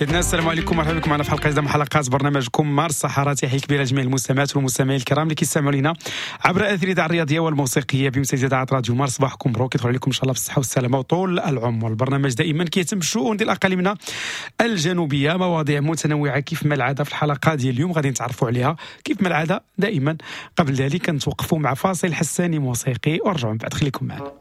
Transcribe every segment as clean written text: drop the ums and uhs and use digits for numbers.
سيدنا السلام عليكم، مرحبا بكم معنا في حلقة جديدة من حلقات برنامجكم مارس الصحراء. تحية كبيرة لجميع المستمعات والمستمعين الكرام اللي كيستمعوا لنا عبر اثير الاذاعة الرياضية والموسيقيه بمسجد اذاعة راديو مارس. صباحكم مبروك، يدخل عليكم ان شاء الله بالصحة والسلامة وطول العمر. البرنامج دائما كيتم بالشؤون ديال اقاليمنا الجنوبية، مواضيع متنوعة كيف ما العادة. في الحلقة ديال اليوم غادي نتعرفوا عليها كيف ما العادة دائما. قبل ذلك نتوقفوا مع فاصل حساني موسيقي ورجعوا من بعد، خليكم معنا.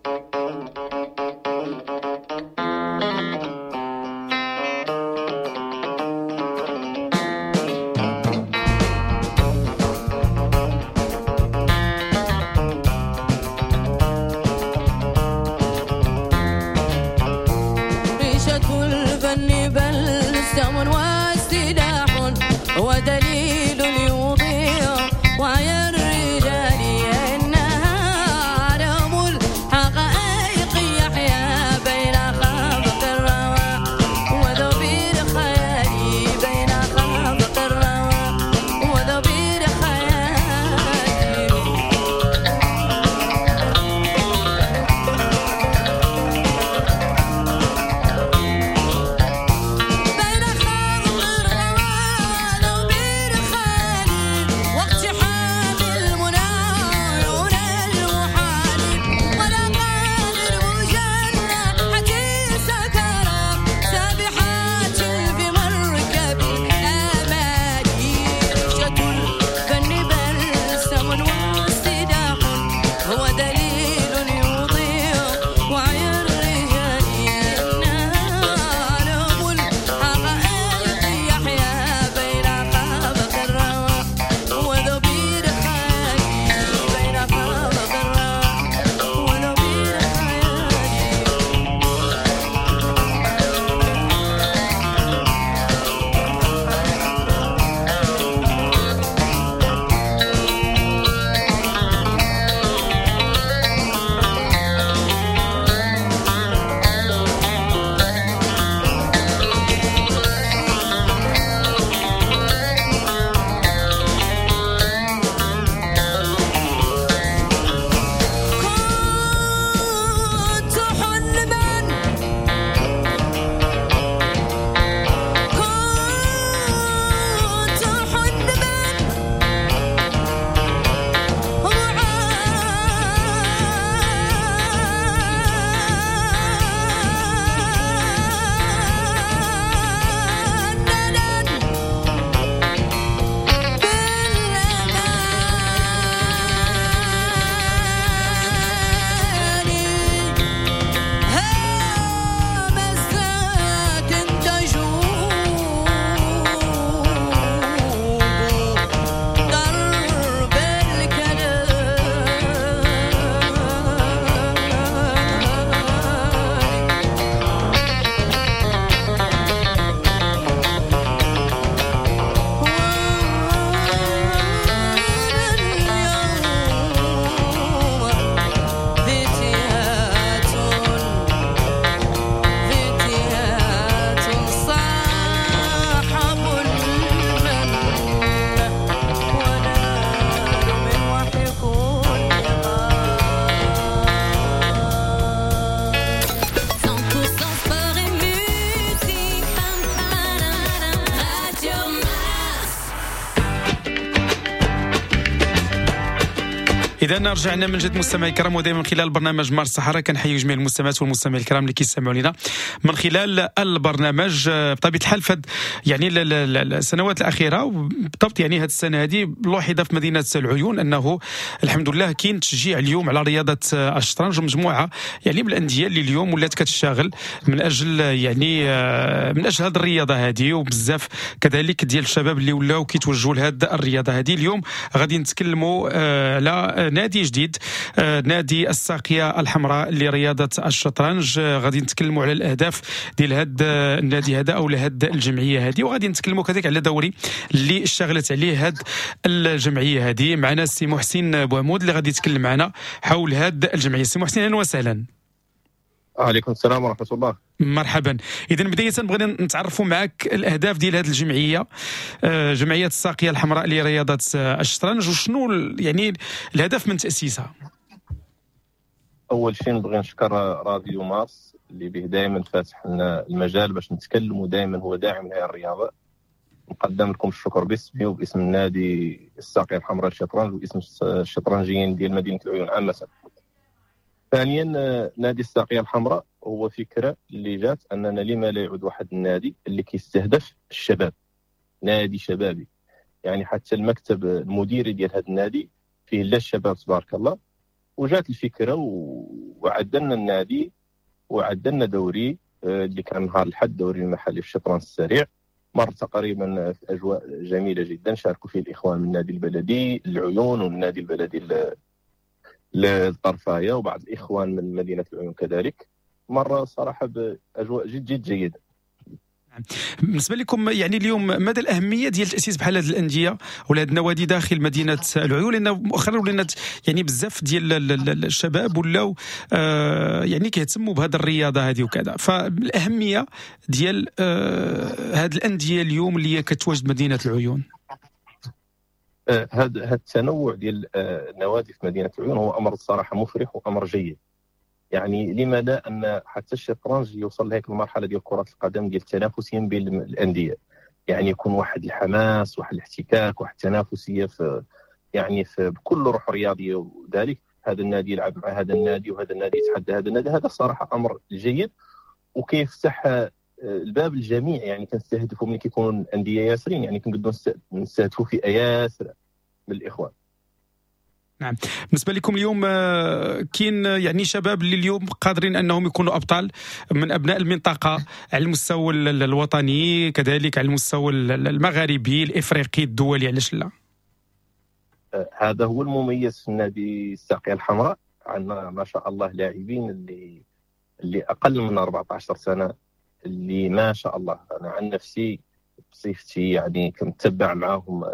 ودليل يضيع وعي الرجال إنها عالم الحقائق يحيا بين خافق الروى وذبير خيالي، بين خافق الروى وذبير خيالي. بين خافق الروى وذبير خيالي، واقتحام المنى عيون المحال، ولا قادر مجنحة سكرى سابحات في مركب الآمال. رشة الفن بلسم واستداح، هو دليل يضيع وعي الرجال إنها عالم الحقائق يحيا بين خافق الروى وذبير خيالي، بين خافق الروى وذبير خيالي. كنت حلما، كنت حلما معننا بالأماني، همسات تجوب درب الكلام. وأنا اليوم فتيات، فتيات صاحب المن، ونال من وحي كل غار. 100% sport et musique. Radio Mars. اذا رجعنا من جد مستمعي الكرام، ودائما من خلال برنامج مارس الصحراء كنحيي جميع المستمعات والمستمعين الكرام اللي كيستمعوا لنا من خلال البرنامج. بطبيعة الحال فد يعني السنوات الاخيرة وبالضبط يعني هذه السنة هذه لوحظ في مدينة العيون انه الحمد لله كاين تشجيع اليوم على رياضة الشطرنج، ومجموعة يعني من الاندية اللي اليوم ولات كتشتغل من اجل يعني من اجل هذه الرياضة هذه، وبزاف كذلك ديال الشباب اللي ولاو كيتوجهوا لهذه الرياضة هذه. اليوم غادي نتكلموا على نادي جديد، نادي الساقية الحمراء لرياضة الشطرنج. غادي نتكلموا على الأهداف ديال هذا النادي هذا أو لهاد الجمعية هذه، وغادي نتكلموا كذلك على دوري اللي اشتغلت عليه هاد الجمعية هذه. معنا السي محسن بوعمود اللي غادي يتكلم معنا حول هاد الجمعية. السي محسن أهلا وسهلا. عليكم السلام ورحمة الله. مرحبا. إذا بداية بغينا نتعرفوا معك الأهداف ديال هذه الجمعية، جمعية الساقية الحمراء لرياضة الشطرنج، وشنو يعني الهدف من تأسيسها؟ أول شيء نبغي نشكر راديو مارس اللي به دائما فاتح لنا المجال باش نتكلموا، دائما هو داعم لهذه الرياضة. نقدم لكم الشكر باسمي وباسم النادي الساقية الحمراء للشطرنج واسم الشطرنجيين ديال مدينة العيون عامة. ثانيا، نادي الساقية الحمراء هو فكرة اللي جات أننا لما لا يعود واحد النادي اللي كيستهدف الشباب، نادي شبابي. يعني حتى المكتب المديري ديال هذا النادي فيه لا الشباب تبارك الله. وجات الفكرة وعدلنا النادي وعدلنا دوري اللي كان نهار الحد، دوري المحلي في الشطرنج السريع، مر تقريبا في أجواء جميلة جدا، شاركوا فيه الإخوان من النادي البلدي العيون والنادي البلدي للطرفاية وبعض الإخوان من مدينة العيون كذلك. مرة صراحة بأجواء جد جد جيدة. بالنسبة لكم يعني اليوم مدى الأهمية ديال تأسيس بحال هذه الأندية ولا هذه النوادي داخل مدينة العيون؟ لأن مؤخرا ولينا يعني بزاف ديال الشباب ولاو يعني كيهتموا بهذه الرياضة هذه وكذا، فالأهمية ديال هذه الأندية اليوم اللي هي كتواجد مدينة العيون. هذا التنوع ديال النوادي في مدينة العيون هو أمر الصراحة مفرح وأمر جيد. يعني لما لا أن حتى الشطرنج يوصل لهيك المرحلة ديال كرة القدم ديال التنافسية بين الأندية، يعني يكون واحد الحماس، واحد الاحتكاك، واحد التنافسية في يعني في بكل روح رياضية وذلك. هذا النادي يلعب مع هذا النادي وهذا النادي يتحدى هذا النادي. هذا الصراحة أمر جيد وكيفتح الباب للجميع. يعني كنستهدفوا ملي كيكونوا الأندية ياسرين، يعني كنقدروا نستهدفوا فئة ياسرة من الإخوان. نعم. بالنسبة لكم اليوم كاين يعني شباب اللي اليوم قادرين أنهم يكونوا أبطال من أبناء المنطقة على المستوى الوطني، كذلك على المستوى المغاربي الإفريقي الدولي، علاش لا؟ هذا هو المميز في النادي الساقية الحمراء. عندنا ما شاء الله لاعبين اللي أقل من 14 سنة اللي ما شاء الله. أنا عن نفسي بصفتي يعني كنت تبع معهم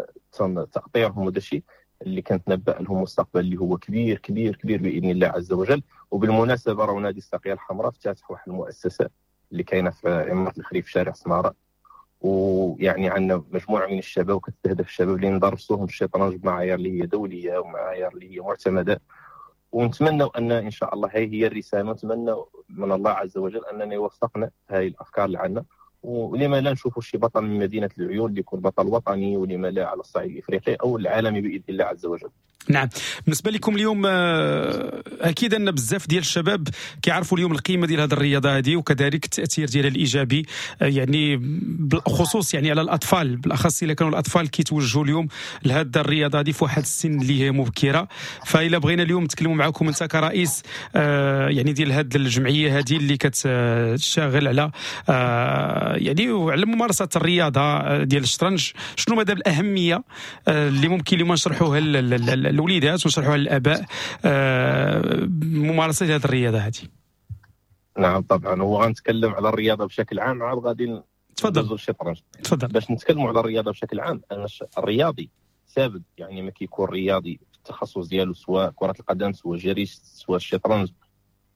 تأطيرهم وذا الشيء اللي كانت نبأ لهم مستقبل اللي هو كبير كبير كبير بإذن الله عز وجل. وبالمناسبة راه نادي الساقية الحمراء افتتح واحد المؤسسة اللي كاينة في عمارة الخريف شارع سمارة، ويعني عندنا مجموعة من الشباب وكتستهدف الشباب اللي ندرسوهم الشطرنج بمعايير اللي هي دولية ومعايير اللي هي معتمدة. ونتمنى أن إن شاء الله هي هي الرسالة، نتمنى من الله عز وجل أننا يوفقنا هاي الأفكار اللي عندنا، ولما لا نشوفوا شي بطل من مدينة العيون اللي يكون بطل وطني، ولما لا على الصعيد الإفريقي أو العالمي بإذن الله عز وجل. نعم. بالنسبة لكم اليوم أكيد أن بزاف ديال الشباب كيعرفوا اليوم القيمة ديال هذه الرياضة هذه وكذلك التأثير ديالها الإيجابي، يعني بالخصوص يعني على الأطفال، بالأخص إلا كانوا الأطفال كيتوجهوا اليوم لهذه الرياضة هذه في واحد السن اللي هي مبكرة. فإلا بغينا اليوم نتكلموا معكم أنت كرئيس يعني ديال هذه الجمعية هذه اللي كتشتغل على يعني على ممارسة الرياضة ديال الشطرنج، شنو مدى الأهمية اللي ممكن اليوم نشرحوها الوليدات ونشرحوها للآباء ممارسة هذه الرياضة هذه؟ نعم طبعا، هو غنتكلم على الرياضة بشكل عام، عاد غادي تفضل الشطرنج. تفضل. باش نتكلموا على الرياضة بشكل عام، أنا الرياضي ثابت، يعني ما كيكون رياضي في التخصص ديالو سواء كرة القدم سواء جري سواء الشطرنج،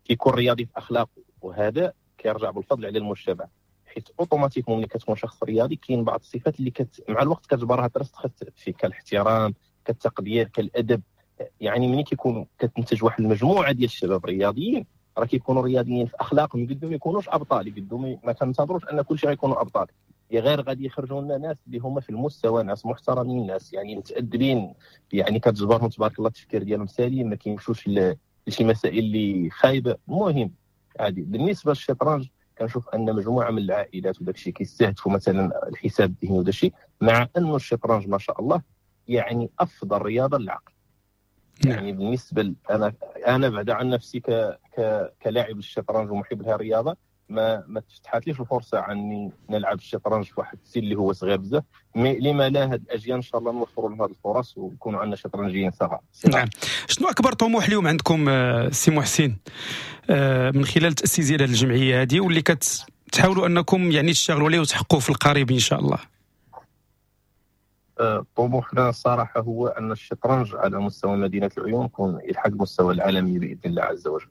كيكون رياضي في أخلاقه، وهذا كيرجع بالفضل على المجتمع. حيت automatiquement ملي كتكون شخص رياضي كاين بعض الصفات اللي مع الوقت كتجبرها ترسخ فيك، كالاحترام، كالتقدير، كالادب. يعني ملي كيكون كتنتج واحد المجموعة ديال الشباب رياضيين، راه كيكونوا رياضيين في اخلاقهم، يقدروا ما يكونوش ابطال، يقدروا ما كنتظروش ان كلشي غيكونوا ابطال، يا غير غادي يخرجوا لنا ناس اللي هما في المستوى، ناس محترمين، ناس يعني متادبين، يعني كتجبرهم تبارك الله التفكير ديالهم سليم، ما كيمشوش لشي مسائل اللي خايبة. المهم عادي. بالنسبة للشطرنج كنشوف ان مجموعة من العائلات وداك الشيء كيستهدفوا مثلا الحساب الذهني وداك الشيء، مع انه الشطرنج ما شاء الله يعني افضل رياضة للعقل. يعني بالنسبة انا بعد عن نفسي كلاعب الشطرنج ومحب لها الرياضة، ما تفتحاتليش الفرصة عني نلعب الشطرنج في واحد السن اللي هو صغير بزاف، mais لما لا هاد الاجيال ان شاء الله نوفروا لهم هاد الفرص ويكونوا عندنا شطرنجيين صغار. نعم. شنو اكبر طموح اليوم عندكم سي محسن من خلال تاسيس ديال هذه الجمعية هذه واللي كتحاولوا انكم يعني تشتغلوا عليه وتحققوه في القريب ان شاء الله؟ طموحنا الصراحة هو ان الشطرنج على مستوى مدينة العيون يكون يلحق المستوى العالمي باذن الله عز وجل.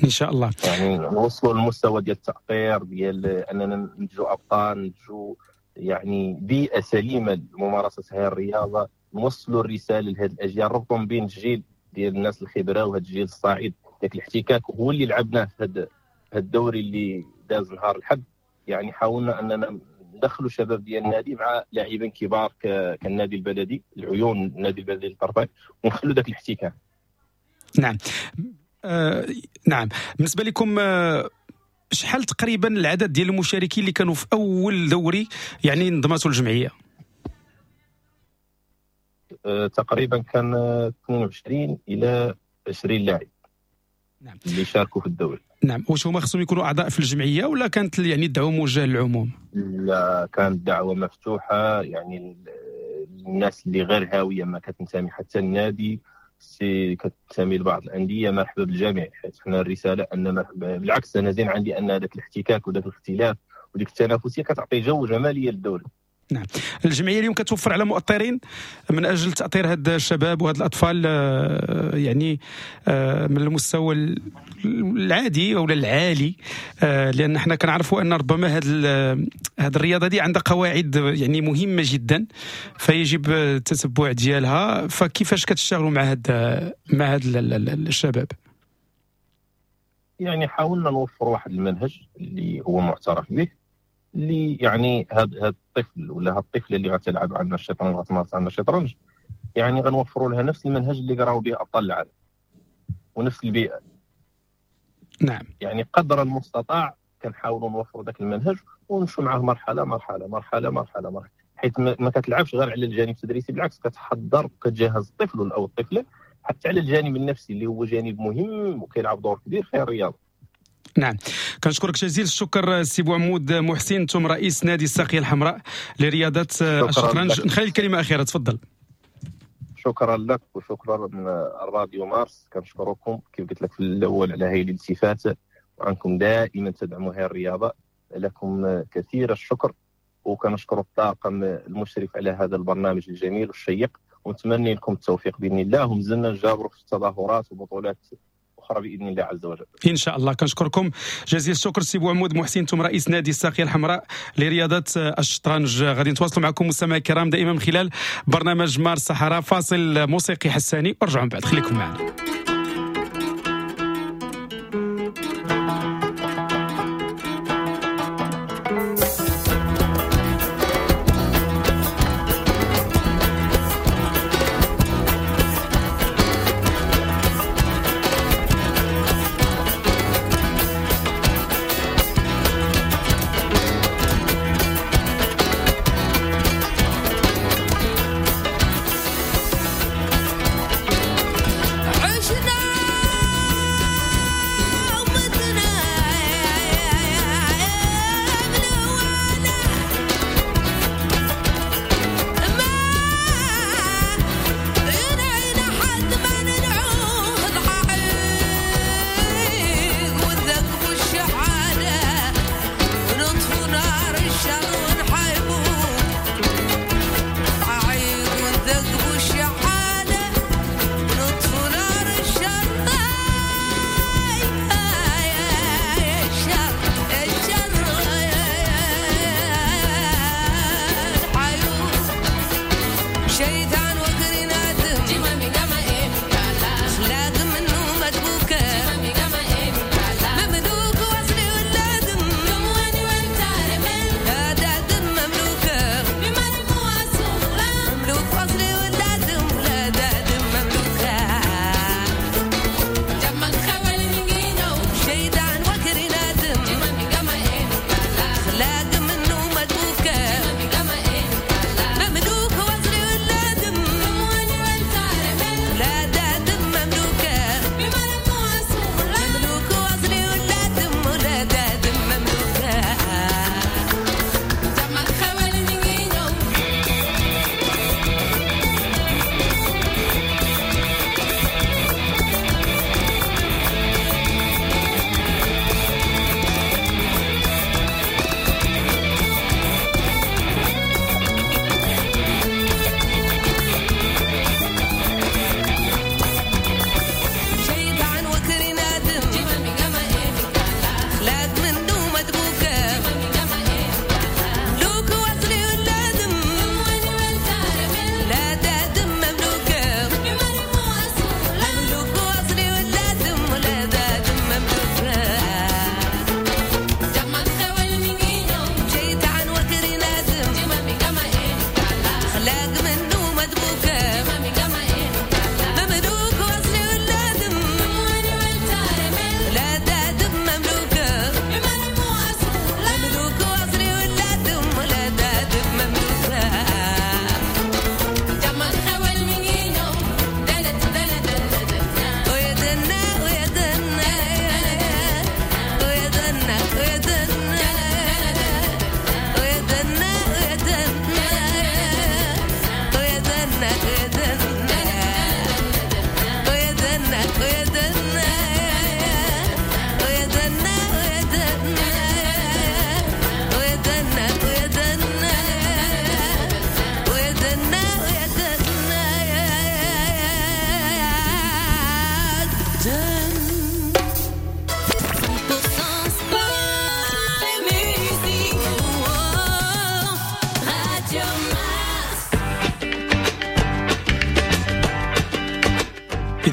ان شاء الله. يعني نوصلوا للمستوى ديال التأطير، ديال اننا ننتجوا ابطال، ننتجوا يعني بيئة سليمة لممارسة هذه الرياضة، نوصلوا الرسالة لهذه الاجيال، ربطوا بين الجيل ديال الناس الخبرة وهذا الجيل الصاعد. ذاك الاحتكاك هو اللي لعبناه في في الدوري اللي داز نهار الحد يعني حاولنا اننا ندخلوا شباب ديال النادي مع لاعبين كبار كالنادي البلدي العيون، النادي البلدي للطرفين، ونخلوا ذاك الاحتكاك. نعم. نعم، بالنسبة لكم شحال تقريبا العدد ديال المشاركين اللي كانوا في اول دوري يعني انضمته الجمعية؟ تقريبا كان 22 الى 20 لاعب. نعم. اللي شاركوا في الدوري. نعم، واش هما خصهم يكونوا اعضاء في الجمعية ولا كانت يعني الدعوة موجهة للعموم؟ لا، كانت دعوه مفتوحة، يعني الناس اللي غير هاوية ما كتنتمي حتى النادي، سي كتنتمي لبعض الاندية، مرحبا بالجميع. حيت حنا الرسالة ان مرحبا، بالعكس انا زين عندي ان هذاك الاحتكاك وذاك الاختلاف وديك التنافسية كتعطي جو جمالية للدوري. نعم، الجمعية اليوم كتوفر على مؤطرين من اجل تاطير هاد الشباب وهاد الاطفال يعني من المستوى العادي او العالي، لان حنا كنعرفوا ان ربما هاد الرياضة دي عندها قواعد يعني مهمة جدا فيجب التتبع ديالها. فكيفاش كتشتغلوا مع هاد الشباب؟ يعني حاولنا نوفر واحد المنهج اللي هو معترف به، اللي يعني هذا الطفل ولا هاد الطفلة اللي غتلعب عندنا الشطرنج، غتمارس عندنا الشطرنج، يعني غنوفروا لها نفس المنهج اللي قراو به ابطال العالم ونفس البيئة. نعم، يعني قدر المستطاع كنحاولوا نوفروا ذاك المنهج ونمشوا معاه مرحلة مرحلة مرحلة مرحلة مرحلة، حيث ما كتلعبش غير على الجانب التدريسي، بالعكس كتحضر وكتجهز الطفل او الطفلة حتى على الجانب النفسي اللي هو جانب مهم وكيلعب دور كبير في الرياضة. نعم، كنشكرك جزيل الشكر سي بوعمود محسن، انتم رئيس نادي الساقية الحمراء لرياضة الشطرنج. نخلي الكلمة أخيرة، تفضل. شكرا لك وشكرا الراديو مارس، كنشكركم كيف قلت لك في الأول على هذه الالتفات، وعنكم دائما تدعموا هذه الرياضة، لكم كثير الشكر، وكنشكر الطاقم المشرف على هذا البرنامج الجميل والشيق، ونتمنى لكم التوفيق بإذن الله، ومازلنا نجابروا في التظاهرات وبطولات أخرى بإذن الله عز وجل إن شاء الله. كنشكركم جزيل الشكر سي بوعمود محسن، انتم رئيس نادي الساقية الحمراء لرياضة الشطرنج. غادي نتواصلوا معكم مستمعي الكرام دائما من خلال برنامج مارس الصحراء. فاصل موسيقي حساني ورجعوا من بعد، خليكم معنا. عشرة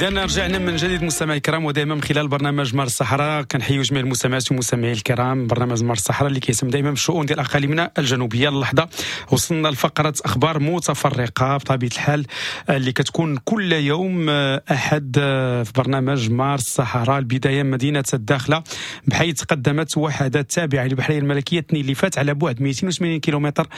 إذا رجعنا من جديد مستمعي الكرام، ودائما من خلال برنامج مارس الصحراء كنحيو جميع المستمعات والمستمعين الكرام. برنامج مارس الصحراء اللي كيهتم دائما بالشؤون ديال اقاليمنا الجنوبية. اللحظة وصلنا لفقره اخبار متفرقة بطبيعة الحال اللي كتكون كل يوم احد في برنامج مارس الصحراء. البداية مدينة الداخلة، بحيث قدمت وحدات تابعه للبحريه الملكية اثنين اللي فات على بعد 280 كيلومتر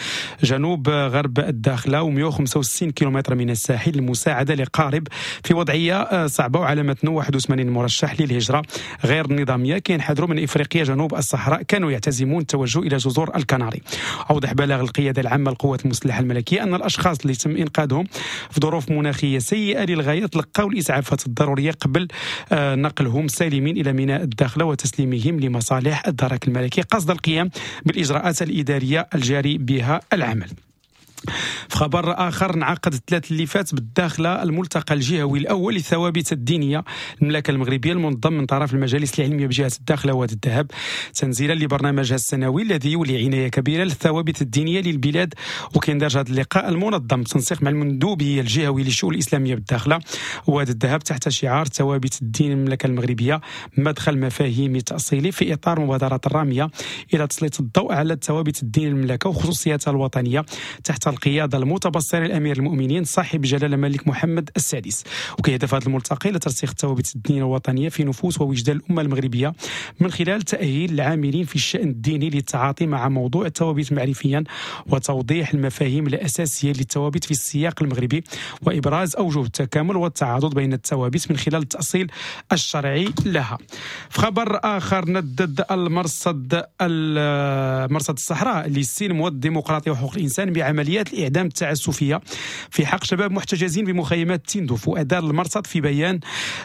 جنوب غرب الداخلة و165 كيلومتر من الساحل المساعدة لقارب في وضعية صعبة وعلى متنه 81 مرشح للهجرة غير النظامية كينحدروا من افريقيا جنوب الصحراء، كانوا يعتزمون التوجه الى جزر الكناري. اوضح بلاغ القيادة العامة للقوات المسلحة الملكية ان الاشخاص اللي تم انقاذهم في ظروف مناخيه سيئه للغاية تلقوا الاسعافات الضرورية قبل نقلهم سالمين الى ميناء الداخلة وتسليمهم لمصالح الدرك الملكي قصد القيام بالاجراءات الادارية الجاري بها العمل. في خبر آخر، انعقد الثلاث اللي فات بالداخلة الملتقى الجهوي الأول للثوابت الدينية المملكة المغربية المنظم من طرف المجالس العلمية بجهة الداخلة وادي الذهب، تنزيلا لبرنامجها السنوي الذي يولي عناية كبيرة للثوابت الدينية للبلاد. وكيندرج هذا اللقاء المنظم بتنسيق مع المندوبية الجهوي للشؤون الإسلامية بالداخلة وادي الذهب تحت شعار ثوابت الدين المملكة المغربية مدخل مفاهيم تأصيلي، في إطار مبادرة الرامية إلى تسليط الضوء على الثوابت الدين المملكة وخصوصياتها الوطنية تحت القيادة المتبصرة لأمير المؤمنين صاحب جلالة الملك محمد السادس. وكيهدف هذا الملتقى إلى ترسيخ الثوابت الدينية الوطنية في نفوس ووجدان الأمة المغربية من خلال تأهيل العاملين في الشأن الديني للتعاطي مع موضوع الثوابت معرفيا وتوضيح المفاهيم الأساسية للثوابت في السياق المغربي وإبراز أوجه التكامل والتعاضد بين الثوابت من خلال التأصيل الشرعي لها. في خبر آخر، ندد المرصد مرصد الصحراء للسلم والديمقراطية وحقوق الإنسان بعمليات الإعدام التعسفية في حق شباب محتجزين بمخيمات تندوف. وأدار المرصد في بيان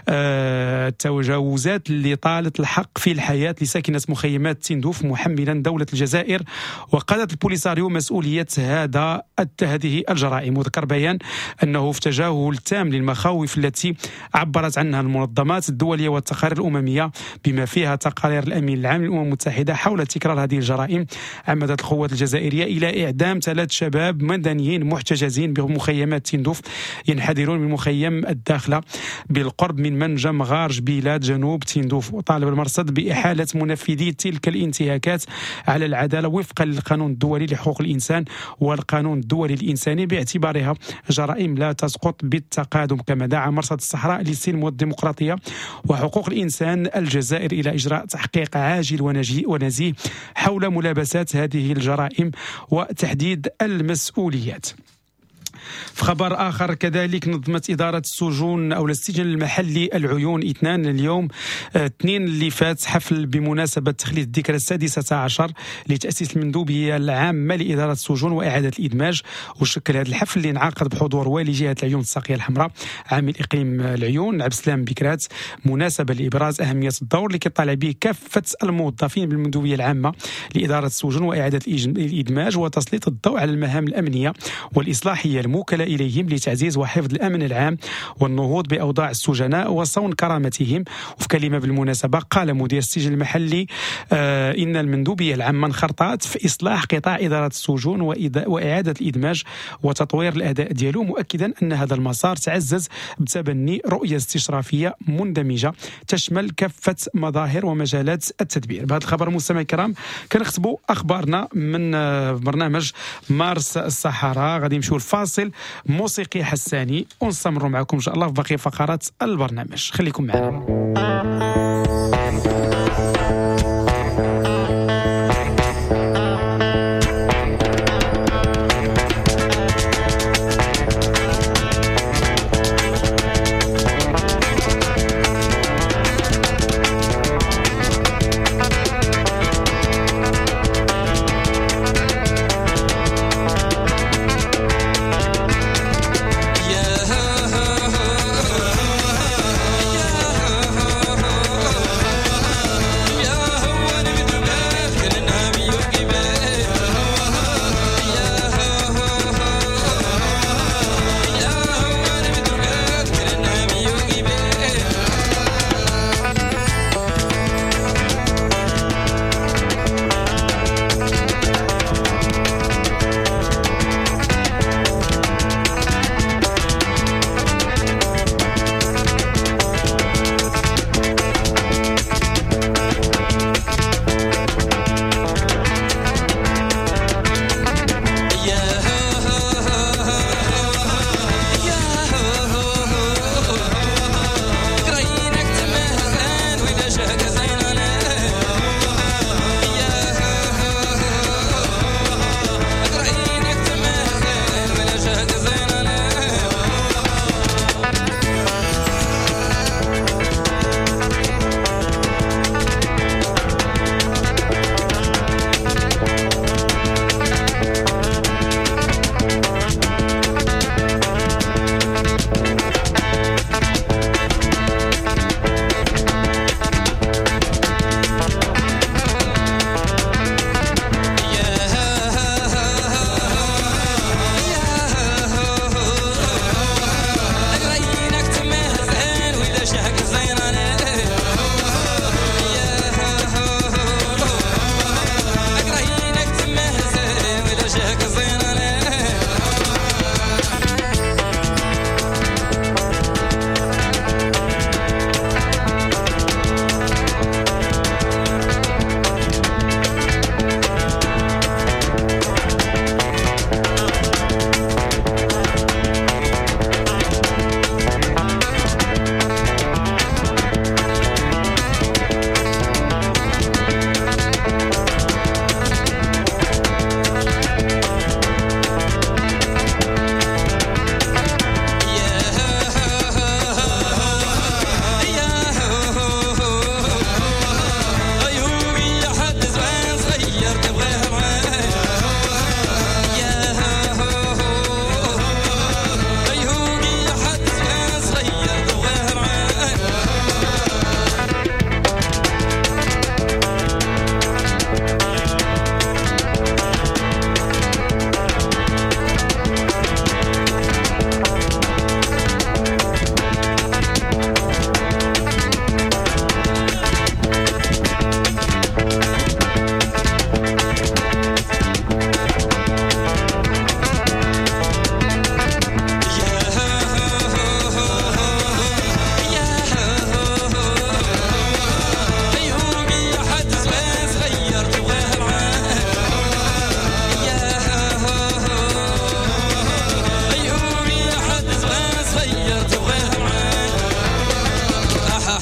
التجاوزات اللي طالت الحق في الحياة لساكنة مخيمات تندوف، محملا دولة الجزائر وقادة البوليساريو مسؤولية هذه الجرائم. وذكر بيان أنه في تجاهل تام للمخاوف التي عبرت عنها المنظمات الدولية والتقارير الأممية بما فيها تقارير الأمين العام للأمم المتحدة حول تكرار هذه الجرائم، عمدت القوات الجزائرية إلى إعدام 3 شباب مدنيين محتجزين بمخيمات تندوف ينحدرون من مخيم الداخلة بالقرب من منجم غار جبيلات جنوب تندوف. وطالب المرصد بإحالة منفذي تلك الانتهاكات على العدالة وفقا للقانون الدولي لحقوق الإنسان والقانون الدولي الإنساني باعتبارها جرائم لا تسقط بالتقادم. كما دعا مرصد الصحراء للسلم والديمقراطية وحقوق الإنسان الجزائر إلى إجراء تحقيق عاجل ونزيه حول ملابسات هذه الجرائم وتحديد المسؤوليات. في خبر آخر كذلك، نظمت إدارة السجون أو السجن المحلي العيون اثنان اليوم اثنين اللي فات حفل بمناسبة تخليد الذكرى 16 لتأسيس المندوبية العامة لإدارة السجون وإعادة الإدماج. وشكل هذا الحفل اللي انعقد بحضور والي جهة العيون الساقية الحمراء عامل إقليم العيون عبد السلام بكرات، مناسبة لإبراز أهمية الدور اللي كيطالع به كافة الموظفين بالمندوبية العامة لإدارة السجون وإعادة الإدماج وتسليط الضوء على المهام الأمنية والإصلاحية الموكلة إليهم لتعزيز وحفظ الأمن العام والنهوض بأوضاع السجناء وصون كرامتهم. وفي كلمة بالمناسبة قال مدير السجن المحلي إن المندوبية العامة انخرطت في إصلاح قطاع إدارة السجون وإعادة الإدماج وتطوير الأداء ديالو، مؤكدا أن هذا المسار تعزز بتبني رؤية استشرافية مندمجة تشمل كافة مظاهر ومجالات التدبير. بهذا الخبر مستمعي الكرام كنختبوا أخبارنا من برنامج مارس الصحراء. غادي نمشيو لفاصل موسيقي حساني ونستمروا معكم إن شاء الله في باقي فقرات البرنامج. خليكم معنا. Yeah.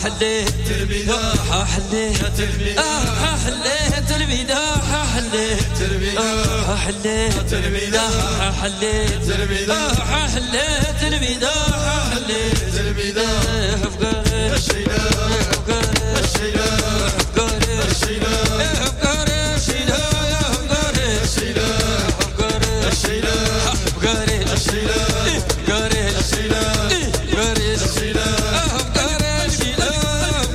حليت البداحة حليت البداحة حليت البداحة حليت البداحة حليت البداحة حليت البداحة حليت البداحة حليت البداحة أفكاري الشيلة أفكاري الشيلة أفكاري الشيلة أفكاري الشيلة أفكاري الشيلة أفكاري الشيلة أفكاري الشيلة أفكاري الشيلة أفكاري الشيلة أفكاري الشيلة أفكاري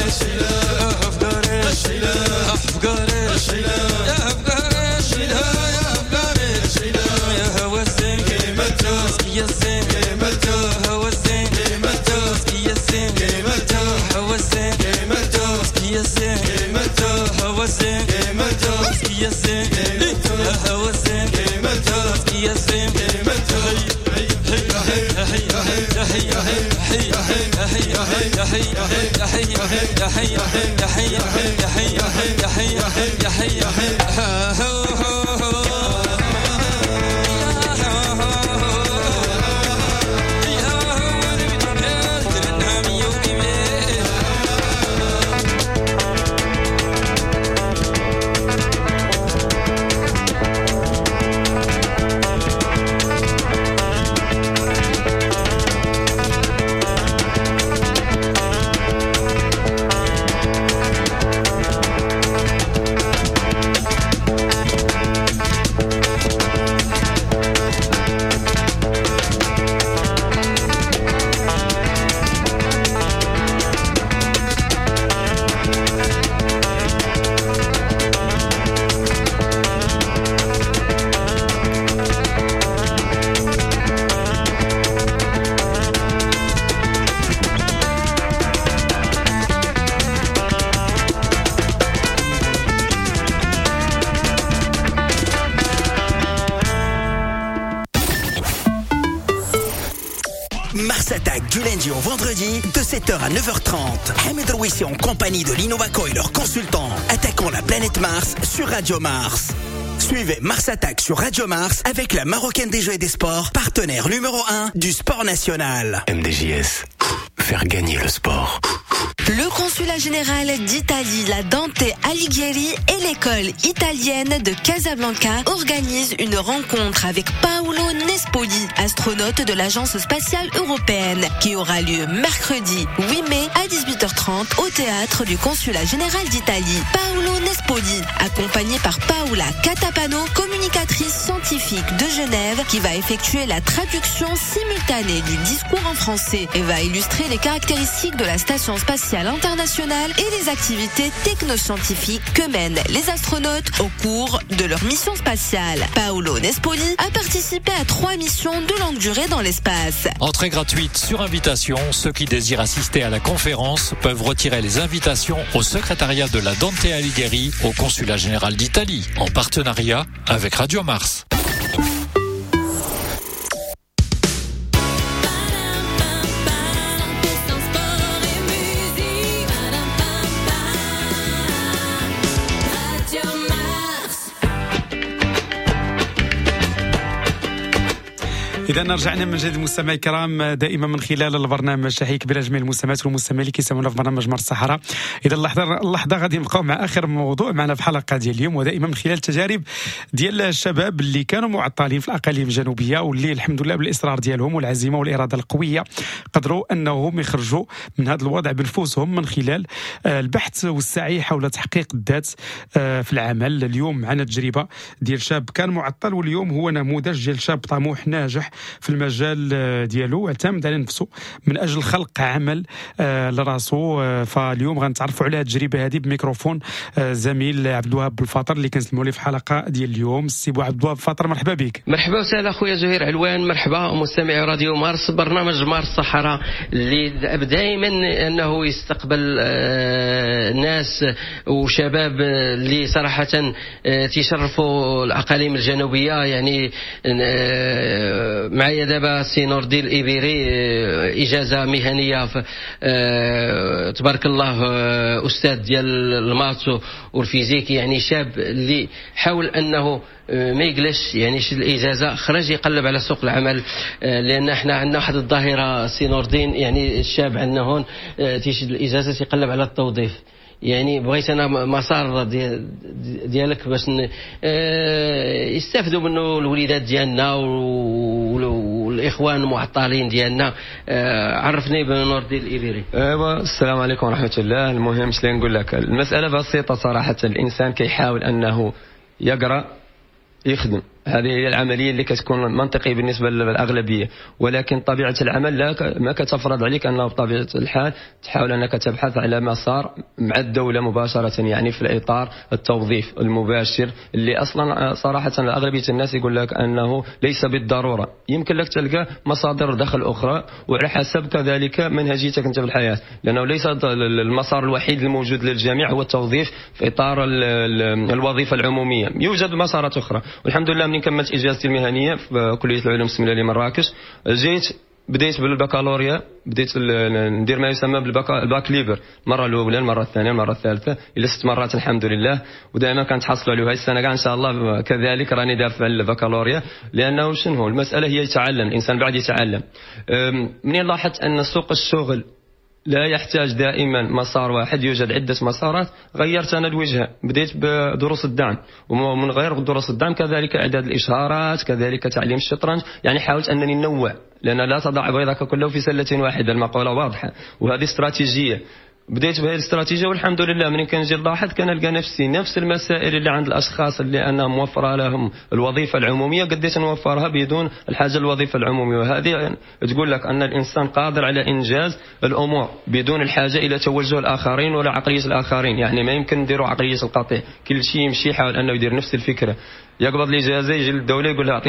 الشيلة أفكاري الشيلة أفكاري الشيلة أفكاري الشيلة أفكاري الشيلة يا هو الزين قيمته يا الزين قيمته هو الزين قيمته يا الزين قيمته هو الزين قيمته يا الزين قيمته هو الزين قيمته يا الزين قيمته هو الزين قيمته يا الزين قيمته هي هي هي هي هي هي هي هي هي هي هي هي هي هي Mars Attack du lundi au vendredi de 7h à 9h30. Hamid Rouissi en compagnie de l'Innovaco et leurs consultants attaquant la planète Mars sur Radio Mars. Suivez Mars Attack sur Radio Mars avec la Marocaine des Jeux et des Sports, partenaire numéro 1 du sport national. MDJS, faire gagner le sport. Le consulat général d'Italie, la Dante Alighieri et l'école italienne de Casablanca organisent une rencontre avec Paolo Nespoli, astronaute de l'Agence spatiale européenne, qui aura lieu mercredi 8 mai à 18h30 au théâtre du consulat général d'Italie. Paolo Nespoli, accompagné par Paola Catapano, communicatrice scientifique de Genève, qui va effectuer la traduction simultanée du discours en français et va illustrer les caractéristiques de la station spatiale internationale et les activités technoscientifiques que mènent les astronautes au cours de leur mission spatiale. Paolo Nespoli a participé à 3 missions de longue durée dans l'espace. Entrée gratuite sur invitation. Ceux qui désirent assister à la conférence peuvent retirer les invitations au secrétariat de la Dante Alighieri au consulat général d'Italie, en partenariat avec Radio Mars. إذا رجعنا من جديد مستمعي الكرام دائما من خلال البرنامج، تحية كبيرة لجميع المستمعات والمستمعين اللي كيسمعونا في برنامج مارس الصحراء. إذا اللحظة غادي نبقاو مع آخر موضوع معنا في الحلقة ديال اليوم، ودائما من خلال التجارب ديال الشباب اللي كانوا معطلين في الأقاليم الجنوبية، واللي الحمد لله بالإصرار ديالهم والعزيمة والإرادة القوية قدروا أنهم يخرجوا من هذا الوضع بنفوسهم من خلال البحث والسعي حول تحقيق الذات في العمل. اليوم معنا تجربة ديال شاب كان معطل، واليوم هو نموذج ديال شاب طموح ناجح في المجال ديالو، اعتمد على نفسه من اجل خلق عمل لراسو. فاليوم غنتعرفوا على التجربة هذه بميكروفون زميل عبد الوهاب بالفاطر اللي كنسلموا ليه في الحلقة ديال اليوم. السي عبد الوهاب بالفاطر، مرحبا بك. مرحبا وسهلا خويا زهير علوان، مرحبا مستمعي راديو مارس، برنامج مارس الصحراء اللي دائما انه يستقبل ناس وشباب اللي صراحة تيشرفوا الاقاليم الجنوبية، يعني معايا دابا سي نور الدين الإبيري، اجازه مهنية في تبارك الله، استاذ ديال ال maths وال physique، يعني شاب اللي حاول انه ما يجلس، يعني شد الاجازة، خرج يقلب على سوق العمل، لان احنا عندنا واحد الظاهرة سي نور الدين، يعني الشاب عندنا هون تيشد الاجازة تيقلب على التوظيف. يعني بغيت انا مسار ديالك باش يستافدوا منه الوليدات ديالنا والاخوان المعطلين ديالنا. عرفني بنور الدين الإبيري. ايوا السلام عليكم ورحمة الله. المهم شنو نقول لك، المسالة بسيطة صراحة، الانسان كيحاول انه يقرا يخدم، هذه هي العملية اللي كتكون منطقية بالنسبة للاغلبيه، ولكن طبيعة العمل لا ما كتفرض عليك انه بطبيعة الحال تحاول انك تبحث على مسار مع الدولة مباشرة، يعني في الاطار التوظيف المباشر اللي اصلا صراحة اغلبية الناس يقول لك انه ليس بالضرورة، يمكن لك تلقى مصادر دخل اخرى وعلى حسب كذلك منهجيتك انت في الحياة، لانه ليس المسار الوحيد الموجود للجميع هو التوظيف في اطار الوظيفة العمومية، يوجد مسارات اخرى. والحمد لله من كملت اجازتي المهنية في كليه العلوم السملاليه مراكش، جيت بديت بالبكالوريا، بديت ندير ما يسمى بال bac libre، المرة الاولى، المرة الثانية، المرة الثالثة، الى 6 مرات الحمد لله، ودائما كنتحصلوا عليه. هذه السنة كاع ان شاء الله كذلك راني دافع البكالوريا، لانه شنو المسالة هي يتعلم الانسان بعد يتعلم. منين لاحظت ان سوق الشغل لا يحتاج دائما مسار واحد، يوجد عدة مسارات، غيرت أنا الوجهة، بديت بدروس الدعم، ومن غير دروس الدعم كذلك إعداد الإشهارات، كذلك تعليم الشطرنج، يعني حاولت أنني ننوع، لأن لا تضع بيضك كله في سلة واحدة، المقولة واضحة، وهذه استراتيجية. بديت بهذه الاستراتيجية والحمد لله من كنجي نلاحظ كنلقى نفسي نفس المسائل اللي عند الاشخاص اللي انا موفره لهم الوظيفة العمومية قديت نوفرها بدون الحاجة للوظيفة العمومية، وهذه تقول لك ان الانسان قادر على انجاز الامور بدون الحاجة الى توجه الاخرين ولا عقلية الاخرين، يعني ما يمكن نديروا عقلية القطيع، كل شيء يمشي يحاول انه يدير نفس الفكرة، يقبض الاجازة يجي للدولة يقول لها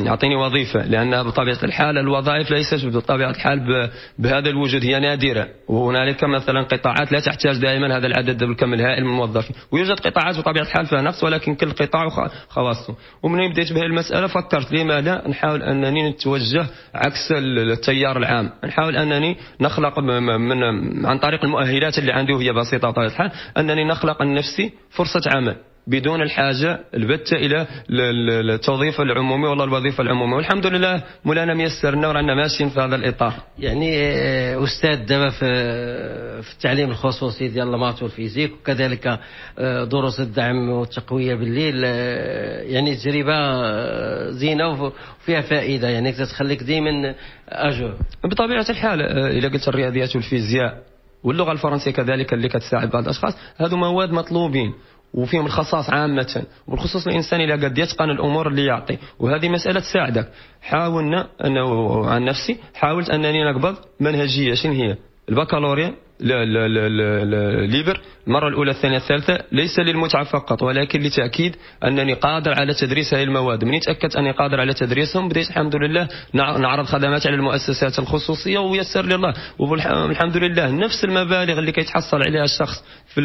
اعطيني وظيفة، لان بطبيعة الحال الوظائف ليست بطبيعة الحال بهذا الوجود، هي نادرة، وهنالك مثلا قطاعات لا تحتاج دائما هذا العدد بالكم الهائل من الموظفين، ويوجد قطاعات بطبيعة الحال فيها نقص، ولكن كل قطاع خواصه. ومن بديت بهذه المسالة فكرت لما لا نحاول انني نتوجه عكس التيار العام، نحاول انني نخلق من عن طريق المؤهلات اللي عندي وهي بسيطة بطبيعة الحال، انني نخلق لنفسي فرصة عمل بدون الحاجة البتة إلى التوظيف العمومي ولا الوظيفة العمومية، والحمد لله مولانا ميسرنا ورانا ماشيين في هذا الإطار. يعني أستاذ دابا في التعليم الخصوصي ديال ال maths وال physique، وكذلك دروس الدعم والتقوية بالليل، يعني تجربة زينة وفيها فائدة، يعني تتخليك دائما à jour. بطبيعة الحال إذا قلت الرياضيات والفيزياء واللغة الفرنسية كذلك اللي كتساعد بعض الأشخاص، هذو مواد مطلوبين وفيهم الخصاص عامة، وبالخصوص الإنسان إذا قد يتقن الأمور اللي يعطي، وهذه مسألة تساعدك. حاولنا أنا عن نفسي حاولت أنني نقبض منهجية، شنو هي؟ البكالوريا libre، المرة الأولى الثانية الثالثة، ليس للمتعة فقط ولكن لتأكيد أنني قادر على تدريس هذه المواد. من تأكدت أني قادر على تدريسهم بديت الحمد لله نعرض خدمات على المؤسسات الخصوصية ويسر لي الله، والحمد لله نفس المبالغ اللي كيتحصل عليها الشخص في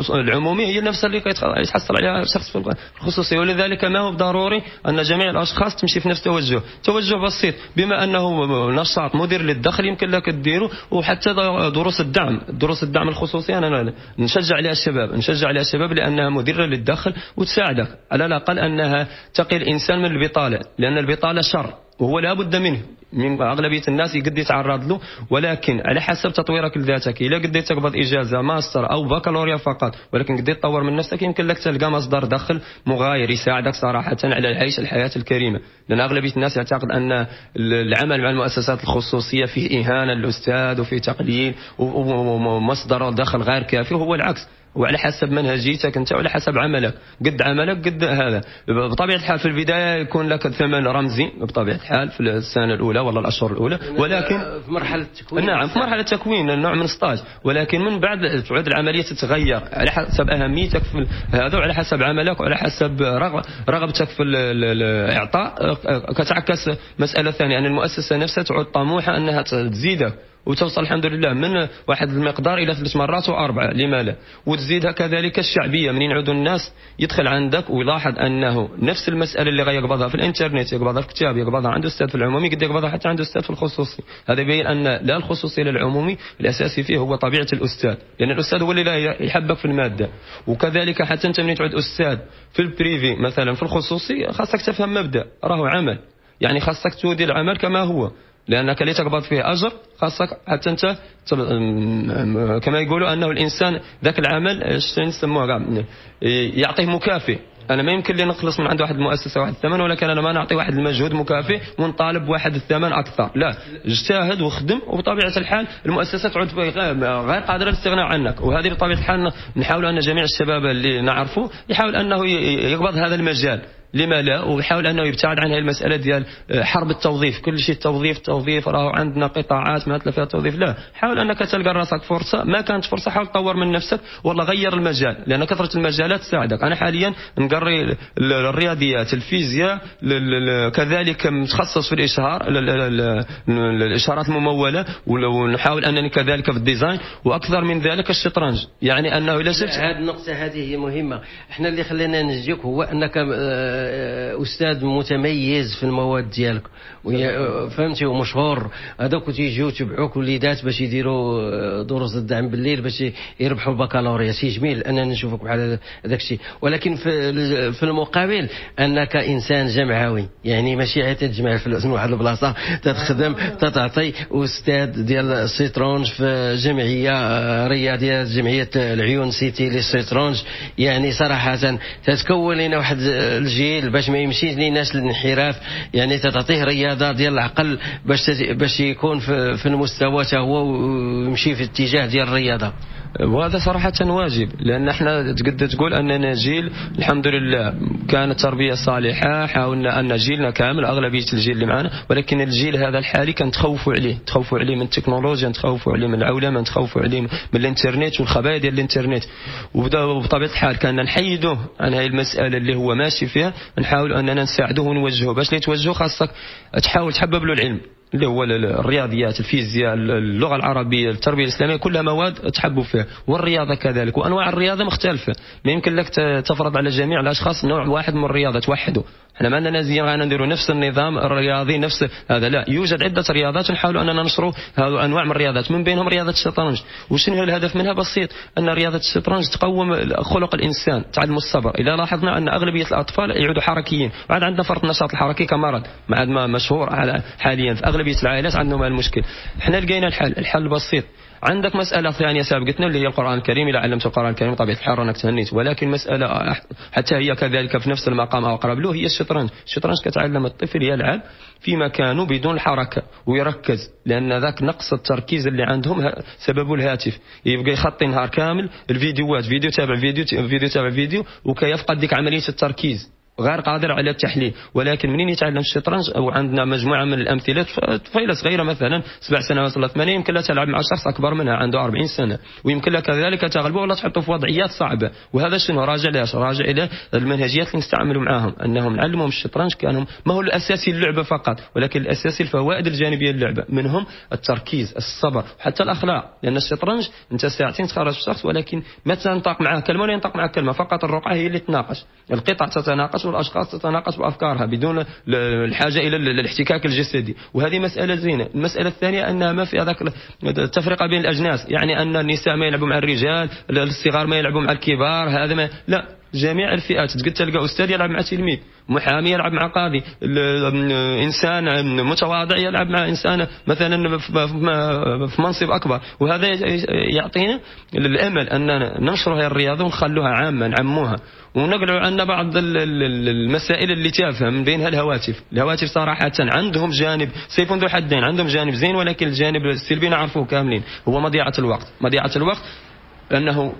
العمومي هي نفس اللي كيتحصل عليها الشخص في الخصوصية، ولذلك ما هو ضروري أن جميع الأشخاص تمشي في نفس التوجه. توجه بسيط بما أنه نشاط مدير للدخل يمكن لك تديره، وحتى دروس الدعم، دروس الدعم الخصوصي أنا نشجع عليها الشباب، نشجع عليها الشباب لأنها مدرة للدخل وتساعدك على الأقل أنها تقي الإنسان من البطالة، لأن البطالة شر وهو لا بد منه، من أغلبية الناس يقد يتعرض له، ولكن على حسب تطويرك لذاتك، إلا قديت تقبض إجازة ماستر أو بكالوريا فقط ولكن قديت تطور من نفسك يمكن لك تلقى مصدر دخل مغاير يساعدك صراحة على العيش الحياة الكريمة، لأن أغلبية الناس يعتقد أن العمل مع المؤسسات الخصوصية فيه إهانة للأستاذ وفيه تقليل ومصدر دخل غير كافي، وهو العكس، وعلى حسب منهجيتك انت وعلى حسب عملك، قد عملك قد هذا. بطبيعة الحال في البداية يكون لك ثمن رمزي بطبيعة الحال في السنة الاولى ولا الاشهر الاولى، ولكن في مرحلة التكوين، نعم في مرحلة التكوين نوع من stage، ولكن من بعد تعود العملية تتغير على حسب اهميتك في هذا وعلى حسب عملك وعلى حسب رغبتك في الاعطاء. كتعكس مسالة ثانية ان المؤسسة نفسها تعود طموحه انها تزيدك وتوصل الحمد لله من واحد المقدار الى 3 مرات واربعة، لما لا؟ وتزيدها كذلك الشعبية، منين يعودوا الناس يدخل عندك ويلاحظ انه نفس المسالة اللي غيقبضها في الانترنت يقبضها في كتاب، يقبضها عند استاذ في العمومي، قد يقبضها حتى عند استاذ في الخصوصي. هذا يبين ان لا الخصوصي لا العمومي الاساسي فيه هو طبيعة الاستاذ، لان الاستاذ هو اللي لا يحبك في المادة. وكذلك حتى انت منين تعود استاذ في ال privé مثلا في الخصوصي خاصك تفهم مبدا راهو عمل، يعني خاصك تودي العمل كما هو، لانك اللي تقبض فيه اجر خاصك حتى انت كما يقولوا انه الانسان ذاك العمل نسموه يعطيه مكافئ. انا ما يمكن لي نخلص من عند واحد المؤسسة واحد الثمن، ولكن انا ما نعطي واحد المجهود مكافئ ونطالب واحد الثمن اكثر، لا، اجتهد وخدم، وبطبيعة الحال المؤسسة تعود غير قادرة للاستغناء عنك. وهذه بطبيعة الحال نحاول ان جميع الشباب اللي نعرفه يحاول انه يقبض هذا المجال، لما لا، ويحاول انه يبتعد عن هذه المسالة ديال حرب التوظيف، كل شيء التوظيف التوظيف، راهو عندنا قطاعات ما فيها توظيف. لا، حاول انك تلقى راسك فرصة، ما كانت فرصة حاول تطور من نفسك والله غير المجال، لان كثرة المجالات تساعدك. انا حاليا نقري الرياضيات، الفيزياء، كذلك متخصص في الاشهار، الاشارات المموله، ونحاول انني كذلك في ال design، واكثر من ذلك الشطرنج. يعني انه الا شفت هذه النقطة هذه هي مهمة. احنا اللي خلينا نجيك هو انك استاذ متميز في المواد ديالك، فهمتي، ومشهور. هذوك تيجيو تبعوك وليدات باش يديروا دروس الدعم بالليل باش يربحوا البكالوريا. شي جميل اننا نشوفك بحال هذاك الشيء، ولكن في المقابل انك انسان جمعوي، يعني ماشي غير تجمع الفلوس من واحد البلاصة تتخدم تتعطي. استاذ ديال الشطرنج في جمعية رياضية، جمعية العيون سيتي للشطرنج، يعني صراحة تتكون لنا واحد الجيل باش ما يمشيش ليناش الانحراف، يعني تعطيه رياضة ديال العقل باش يكون في المستوى حتى هو ويمشي في اتجاه ديال الرياضة. وهذا صراحة واجب، لأن احنا تقدر تقول أننا جيل الحمد لله كانت تربية صالحة، حاولنا أن جيلنا كامل أغلبية الجيل اللي معنا، ولكن الجيل هذا الحالي كان تخوفوا عليه، تخوفوا عليه من التكنولوجيا، تخوفوا عليه من العولمة، تخوفوا عليه من الانترنت والخبايا ديال الانترنت. وبطبيعة الحال كان نحيدوه عن هذه المسألة اللي هو ماشي فيها، نحاول أننا نساعدوه ونوجهه. باش اللي توجهه خاصك تحاول تحبب له العلم اللي هو الرياضيات، الفيزياء، اللغة العربية، التربية الإسلامية، كلها مواد تحبوا فيها، والرياضة كذلك. وأنواع الرياضة مختلفة، ما يمكن لك تفرض على جميع الأشخاص نوع واحد من الرياضة توحده. احنا ما عندنا زين غانا نديروا نفس النظام الرياضي نفس هذا، لا، يوجد عدة رياضات نحاولوا أننا ننشروا هذو أنواع من الرياضات، من بينهم رياضة الشطرنج. وشنو الهدف منها؟ بسيط، أن رياضة الشطرنج تقوم خلق الإنسان، تعلم الصبر. إذا لاحظنا أن أغلبية الأطفال يعودوا حركيين، وعاد عندنا فرط النشاط الحركي كمرض ما عاد مشهور حاليا في أغلبية العائلات عندهم هذا المشكل. احنا لقينا الحل بسيط. عندك مسألة ثانية سابقتنا اللي هي القرآن الكريم، إذا علمت القرآن الكريم طبيعة الحال راك تهنيت، ولكن مسألة حتى هي كذلك في نفس المقام أو أقرب له هي الشطرنج. الشطرنج كتعلم الطفل يلعب في مكانه بدون حركة ويركز، لأن ذاك نقص التركيز اللي عندهم سببه الهاتف، يبقى يخطي نهار كامل الفيديوهات، فيديو تابع فيديو، فيديو تابع فيديو، وكيفقد ديك عملية التركيز، غير قادر على التحليل. ولكن منين يتعلم الشطرنج، او عندنا مجموعة من الامثلة، طفيله صغيرة مثلا 7 سنوات ولا 8 يمكن لها تلعب مع شخص اكبر منها عنده 40 سنة، ويمكن لها كذلك تغلبه ولا تحطه في وضعيات صعبة. وهذا شنو راجع لاش؟ راجع الى المنهجيات اللي نستعملوا معاهم، انهم نعلمهم الشطرنج كانهم ما هو الاساسي اللعبة فقط، ولكن الاساسي الفوائد الجانبية للعبة، منهم التركيز، الصبر، حتى الاخلاق. لان الشطرنج انت ساعتين تخرج الشخص، ولكن ما تنطق معاه كلمة ولا ينطق معك كلمة، فقط الرقعة هي اللي تناقش، القطع تتناقش والاشخاص تتناقش بافكارها بدون الحاجة الى الاحتكاك الجسدي. وهذه مسالة زينة. المسالة الثانية انها ما في هذاك التفرقة بين الاجناس، يعني ان النساء ما يلعبوا مع الرجال، الصغار ما يلعبوا مع الكبار، هذا ما لا، جميع الفئات. تقدر تلقى استاذ يلعب مع تلميذ، محامي يلعب مع قاضي، انسان متواضع يلعب مع انسان مثلا في منصب اكبر. وهذا يعطينا الامل اننا ننشر هذه الرياضة ونخلوها عامة، نعموها، ونقلعوا عنا بعض المسائل اللي تافهة، من بينها الهواتف. الهواتف صراحة عندهم جانب سيف ذو حدين، عندهم جانب زين، ولكن الجانب السلبي نعرفوه كاملين، هو مضيعة الوقت. مضيعة الوقت انه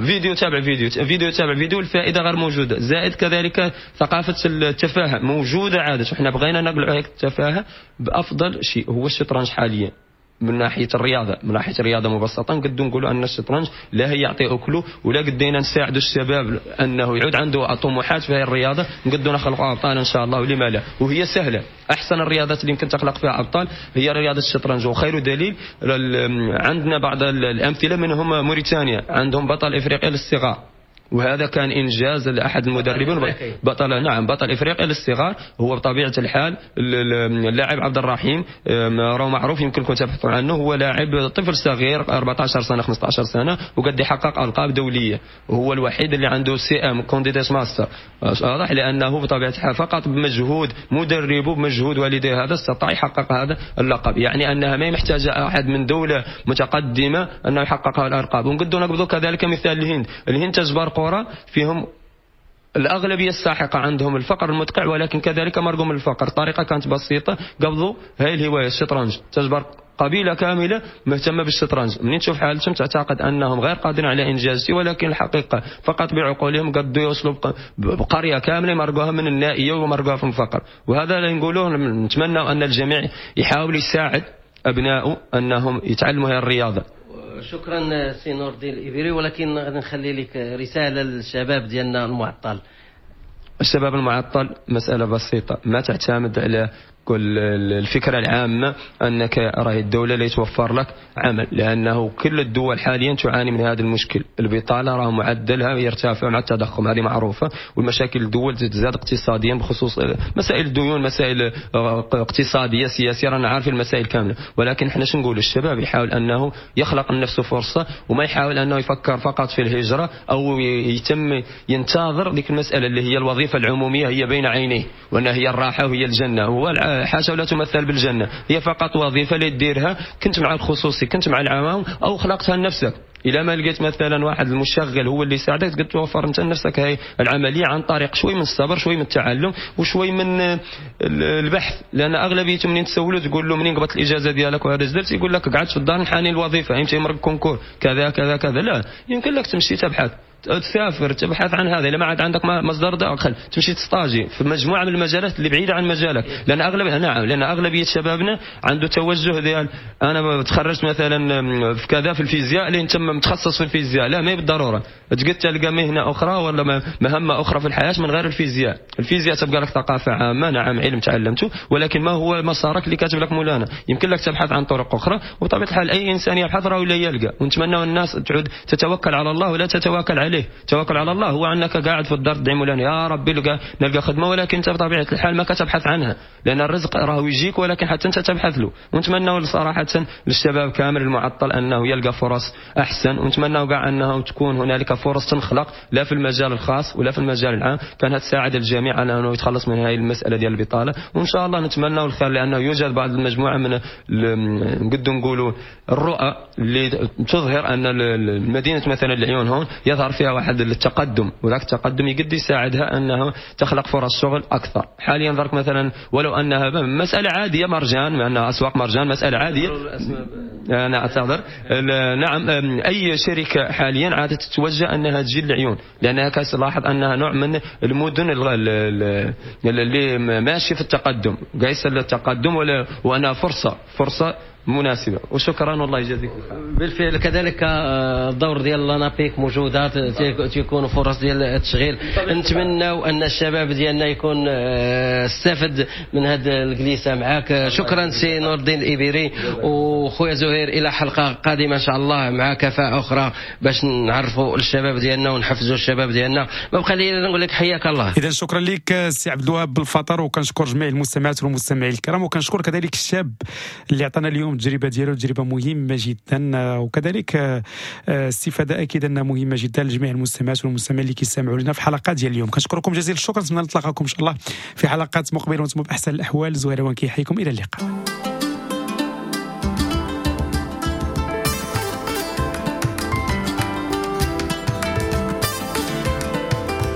فيديو تابع فيديو، فيديو تابع فيديو، الفائدة غير موجودة. زائد كذلك ثقافة التفاهة موجودة عادة، وحنا بغينا نقلعوا هيك التفاهة بافضل شيء هو الشطرنج حاليا. من ناحية الرياضة، من ناحية الرياضة مبسطة نقدروا نقولوا ان الشطرنج لا هي يعطي اكله، ولا قدينا نساعدوا الشباب انه يعود عنده طموحات في هذه الرياضة، نقدروا نخلقوا ابطال ان شاء الله، ولما لا، وهي سهلة. احسن الرياضات اللي يمكن تخلق فيها ابطال هي رياضة الشطرنج، وخير دليل عندنا بعض الامثلة منهم موريتانيا عندهم بطل افريقيا للصغار، وهذا كان انجاز لاحد المدربين، بطل، نعم بطل افريقيا للصغار، هو بطبيعة الحال اللاعب عبد الرحيم، راه معروف يمكنكم تبحثوا عنه، هو لاعب طفل صغير 14 سنة 15 سنة وقد يحقق القاب دولية، وهو الوحيد اللي عنده CM Candidates Master، واضح، لانه بطبيعة الحال فقط بمجهود مدربه بمجهود والديه هذا استطاع يحقق هذا اللقب، يعني انها ما محتاجه احد من دولة متقدمة انه يحقق هذه الالقاب. ونقدروا نقبضوا كذلك مثال الهند، الهند تجبر قرى فيهم الأغلبية الساحقة عندهم الفقر المدقع، ولكن كذلك مرقوا من الفقر، الطريقة كانت بسيطة، قبضوا هاي الهواية الشطرنج، تجبر قبيلة كاملة مهتمة بالشطرنج، منين تشوف حالتهم تعتقد أنهم غير قادرين على إنجاز شيء، ولكن الحقيقة فقط بعقولهم قدوا يوصلوا بقرية كاملة مرقوها من النائية ومرقوها في الفقر. وهذا اللي نقولوه، نتمنى أن الجميع يحاول يساعد أبنائه أنهم يتعلموا هذه الرياضة. شكرا سي نور الدين الإبيري، ولكن غادي نخلي لك رسالة للشباب ديالنا المعطل. الشباب المعطل مسألة بسيطة، ما تعتمد على كل الفكرة العامة أنك راهي الدولة اللي توفر لك عمل، لأنه كل الدول حاليا تعاني من هذا المشكل، البطالة راه معدلها يرتفع مع التضخم، هذه معروفة، والمشاكل الدول تزداد اقتصاديا بخصوص مسائل الديون، مسائل اقتصادية سياسية، رانا عارفين المسائل كاملة. ولكن احنا شنو نقولوا؟ الشباب يحاول أنه يخلق لنفسه فرصة، وما يحاول أنه يفكر فقط في الهجرة أو يتم ينتظر ديك المسألة اللي هي الوظيفة العمومية هي بين عينيه، وأنها هي الراحة وهي الجنة. هو حاشا ولا تمثل بالجنة، هي فقط وظيفة اللي تديرها، كنت مع الخصوصي، كنت مع العوام، أو خلقتها لنفسك. إلى ما لقيت مثلا واحد المشغل هو اللي يساعدك، تقدر توفر انت لنفسك هاي العملية عن طريق شوي من الصبر، شوي من التعلم، وشوي من البحث. لأن أغلبيتهم منين تسولوا تقول له منين قبضت الإجازة ديالك وهذا درت، يقول لك قعدت في الدار نحاني الوظيفة، يمشي يمرق concours كذا كذا كذا. لا، يمكن لك تمشي تبحث، تسافر، تبحث عن هذا. إذا ما عاد عندك مصدر دخل تمشي تستاجي في مجموعة من المجالات اللي بعيدة عن مجالك، لأن أغلب، نعم، لأن أغلبية شبابنا عنده توجه ديال أنا تخرجت مثلا في كذا في الفيزياء، لين تم متخصص في الفيزياء. لا، ما هي بالضرورة، تقدر تلقى مهنة أخرى ولا مهمة أخرى في الحياة من غير الفيزياء. الفيزياء تبقى لك ثقافة عامة، نعم علم تعلمته، ولكن ما هو مسارك اللي كاتب لك مولانا؟ يمكن لك تبحث عن طرق أخرى، وبطبيعة الحال أي إنسان يبحث راه ولا يلقى. ونتمنى الناس تعود تتوكل على الله ولا تتواكل عليه. توكل على الله هو انك قاعد في الدار تدعي مولانا يا ربي نلقى خدمة، ولكن انت بطبيعة الحال ما كتبحث عنها، لان الرزق راه يجيك ولكن حتى انت تبحث له. ونتمنى صراحة للشباب كامل المعطل انه يلقى فرص احسن، ونتمنى كاع انه تكون هنالك فرص تنخلق لا في المجال الخاص ولا في المجال العام، كانت تساعد الجميع على انه يتخلص من هذه المسالة ديال البطالة. وان شاء الله نتمنى الخير، لانه يوجد بعض المجموعة من نقدروا نقولوا الرؤى اللي تظهر ان المدينة مثلا العيون هون يظهر فيها واحد التقدم، وذاك التقدم يقد يساعدها انها تخلق فرص شغل اكثر. حاليا ذاك مثلا ولو انها مسالة عادية، مرجان، مع انها اسواق مرجان مسالة عادية، انا اعتذر، نعم، اي شركة حاليا عادت تتوجه انها تجي للعيون، لانها كتلاحظ انها نوع من المدن اللي ماشي في التقدم، قايسه التقدم، وانها فرصة مناسبة. وشكرا، والله يجازيك الخير. بالفعل كذلك الدور ديال l'ANAPEC موجودة، تيكونوا فرص ديال التشغيل. نتمناو ان الشباب ديالنا يكون استفد من هذه الجلسة معاك. شكرا سي نور الدين الإبيري وخويا زهير، الى حلقة قادمة ان شاء الله مع كفاءة اخرى باش نعرفوا الشباب ديالنا ونحفزوا الشباب ديالنا. ما بقى لي نقول لك حياك الله. اذا شكرا لك سي عبد الوهاب بالفطر، وكنشكر جميع المستمعات والمستمعين الكرام، وكنشكر كذلك الشاب اللي عطانا اليوم التجربة ديالو، تجربه مهمة جدا، وكذلك الاستفادة اكيد انها مهمة جدا لجميع المستمعات والمستمعين اللي كيستمعوا لنا في حلقات ديال اليوم. كنشكركم جزيل الشكر، نتمنى نتلاقاكم ان شاء الله في حلقات مقبله وانتم باحسن الاحوال. زهير وان كيحييكم، الى اللقاء.